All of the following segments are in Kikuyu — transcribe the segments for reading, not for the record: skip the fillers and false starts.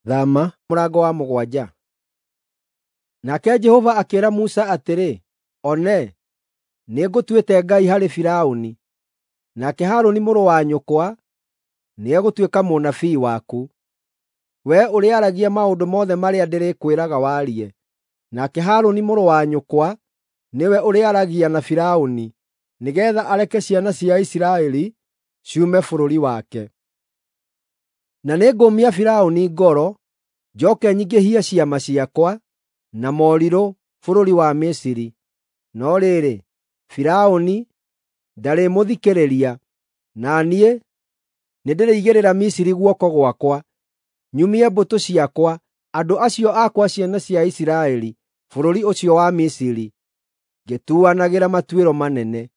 Thama mũrango wa 7. Nake Jehova akĩĩra Musa atĩrĩ, “One, nĩngũtuĩte Ngai harĩ Firaũni, nake Harũni mũrũ wa nyũkwa nĩegũtuĩka mũnabii waku. Wee ũrĩaragia maũndũ mothe marĩa ndĩrĩkwĩraga warie, nake Harũni mũrũ wa nyũkwa nĩwe ũrĩaragia na Firaũni, nĩgeetha areke ciana cia Isiraeli ciume bũrũri wake. Na nĩngũmia Firaũni ngoro, njooke nyingĩhie ciama ciakwa na morirũ bũrũri wa Misiri. No rĩrĩ, Firaũni ndarĩmũthikĩrĩria, na niĩ nĩndĩrĩigĩrĩra Misiri guoko gwakwa, nyumie mbũtũ ciakwa, andũ acio akwa ciana cia Isiraeli, bũrũri ũcio wa Misiri, ngĩtuanagĩra matuĩro manene.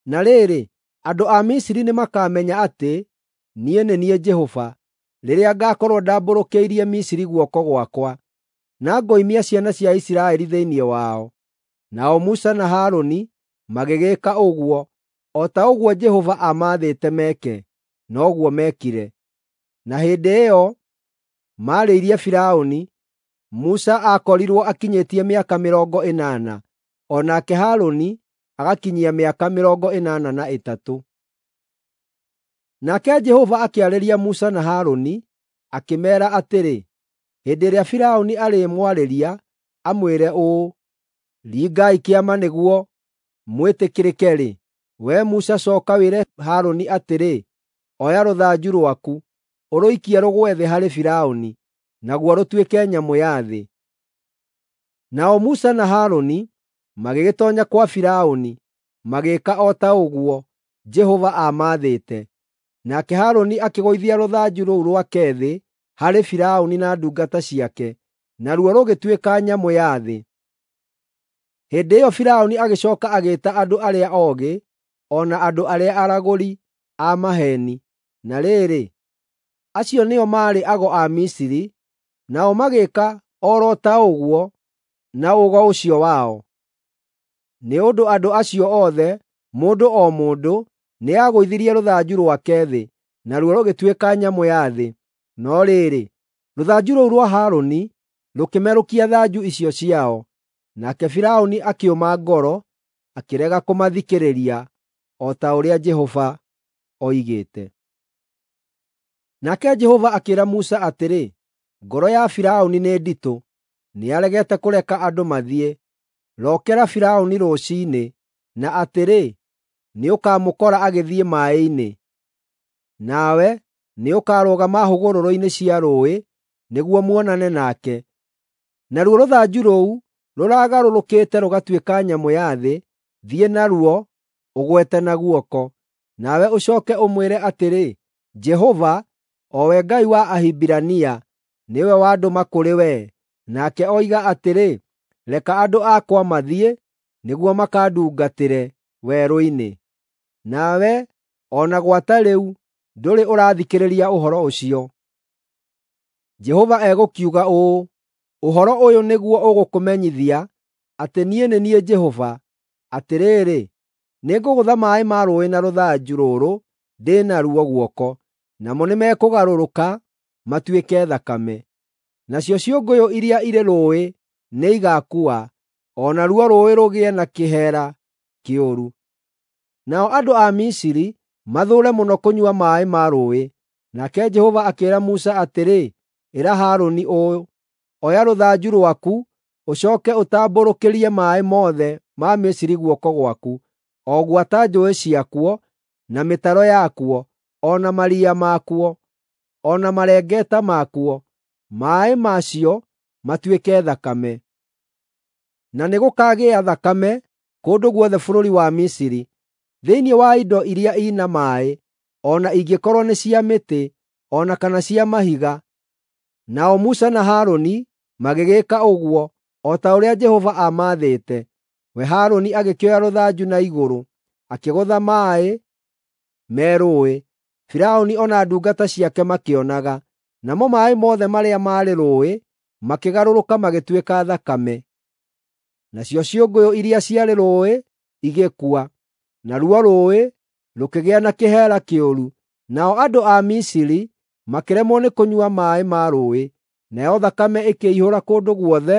Na rĩrĩ, andũ a Misiri nĩmakamenya atĩ niĩ nĩ niĩ Jehova, rĩrĩa ngaakorwo ndambũrũkĩirie Misiri guoko gwakwa, na ngoimia ciana cia Isiraeli thĩinĩ wao.” Nao Musa na Harũni magĩgĩĩka ũguo, o ta ũguo Jehova aamaathĩte meke, noguo meekire. Na hĩndĩ ĩyo maarĩirie Firaũni, Musa aakorirwo akinyĩtie mĩaka 80, o nake Harũni agakinyia mĩaka 83. Nake Jehova akĩarĩria Musa na Harũni, akĩmeera atĩrĩ, “Hĩndĩ ĩrĩa Firaũni arĩmwarĩria, amwĩre ũũ, ‘Ringai kĩama nĩguo mwĩtĩkĩrĩke-rĩ, wee Musa cooka wĩre Harũni atĩrĩ, ‘Oya rũthanju rwaku, ũrũikie rũgwe thĩ harĩ Firaũni,’ naguo rũtuĩke nyamũ ya thĩ.” Nao Musa na Harũni magĩgĩtoonya kwa Firaũni, magĩĩka o ta ũguo Jehova aamaathĩte. Nake Harũni akĩgũithia rũthanju rũu rwake thĩ harĩ Firaũni na ndungata ciake, naruo rũgĩtuĩka nyamũ ya thĩ. Hĩndĩ ĩyo Firaũni agĩcooka agĩĩta andũ arĩa oogĩ o na andũ arĩa aragũri a maheeni. Na rĩrĩ, acio nĩo maarĩ ago a Misiri, nao magĩĩka o ro ta ũguo na ũgo ũcio wao. Nĩ ũndũ andũ acio othe, mũndũ o mũndũ, nĩagũithirie rũthanju rwake thĩ, naruo rũgĩtuĩka nyamũ ya thĩ. No rĩrĩ, rũthanju rũu rwa Harũni rũkĩmerũkia thanju icio ciao. Nake Firaũni akĩũma ngoro, akĩrega kũmathikĩrĩria, o ta ũrĩa Jehova oigĩte. Nake Jehova akĩĩra Musa atĩrĩ, “Ngoro ya Firaũni nĩ nditũ, nĩaregete kũreka andũ mathiĩ. Rookera Firaũni rũciinĩ, na atĩrĩ, nĩũkamũkora agĩthiĩ maaĩ-inĩ. Nawe nĩũkarũgama hũgũrũrũ-inĩ cia rũũĩ nĩguo muonane nake. Naruo rũthanju rũu rũragarũrũkĩte rũgatuĩka nyamũ ya thĩ, thiĩ naruo ũgwete na guoko. Nawe ũcooke ũmwĩre atĩrĩ, ‘Jehova, o we Ngai wa Ahibirania, nĩwe wandũma kũrĩ wee.’ Nake oiga atĩrĩ, ‘Reka andũ akwa mathiĩ, nĩguo makandungatĩre werũ-inĩ.’ Nawe o na gwata rĩu ndũrĩ ũrathikĩrĩria ũhoro ũcio. Jehova egũkiuga ũũ: Ũhoro ũyũ nĩguo ũgũkũmenyithia atĩ niĩ nĩ niĩ Jehova. Atĩrĩrĩ, nĩngũgũtha maaĩ ma rũũĩ na rũthanju rũrũ ndĩ naruo guoko, namo nĩmekũgarũrũka matuĩke thakame. Nacio ciũngũyũ iria irĩ rũũĩ nĩigakua, o naruo rũũĩ rũgĩe na kĩheera kĩũru. Nao andũ a Misiri mathũũre mũno kũnyua maaĩ ma rũũĩ. Nake Jehova akĩĩra Musa atĩrĩ, “Ĩra Harũni ũũ, ‘Oya rũthanju rwaku, ũcooke ũtambũrũkĩrie maaĩ mothe ma Misiri guoko gwaku, o gwata njũũĩ ciakuo, na mĩtaro yakuo, o na maria makuo, o na marengeta makuo, maaĩ macio matuĩke thakame.’ Na nĩgũkagĩa thakame kũndũ guothe bũrũri wa Misiri, thĩinĩ wa indo iria i na maaĩ, o na ingĩkorwo nĩ cia mĩtĩ, o na kana cia mahiga.” Nao Musa na Harũni magĩgĩĩka ũguo, o ta ũrĩa Jehova aamaathĩte. We Harũni agĩkĩoya rũthanju na igũrũ, akĩgũtha maaĩ me rũũĩ, Firaũni o na ndungata ciake makĩonaga. Namo maaĩ mothe marĩa maarĩ rũũĩ makĩgarũrũka magĩtuĩka thakame. Nacio ciũngũyũ iria ciarĩ rũũĩ igĩkua, naruo rũũĩ rũkĩgĩa na kĩheera kĩũru. Nao andũ a Misiri makĩremwo nĩ kũnyua maaĩ ma rũũĩ, nayo thakame ĩkĩihũra kũndũ guothe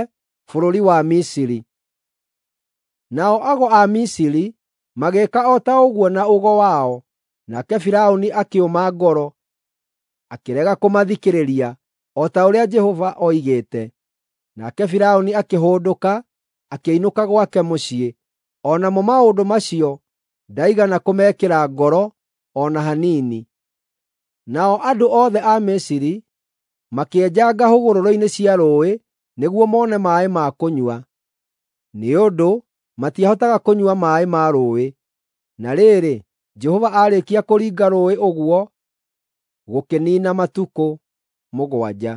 bũrũri wa Misiri. Nao ago a Misiri magĩĩka o ta ũguo na ũgo wao, nake Firaũni akĩũma ngoro, akĩrega kũmathikĩrĩria, o ta ũrĩa Jehova oigĩte. Nake Firaũni akĩhũndũka, akĩinũka gwake mũciĩ. O namo maũndũ macio ndaigana kũmekĩra ngoro o na hanini. Nao andũ othe a Misiri makĩenjanga hũgũrũrũ-inĩ cia rũũĩ nĩguo mone maaĩ ma kũnyua, nĩ ũndũ matiahotaga kũnyua maaĩ ma rũũĩ. Na rĩrĩ, Jehova aarĩkia kũringa rũũĩ ũguo, gũkĩniina matukũ mũgwanja.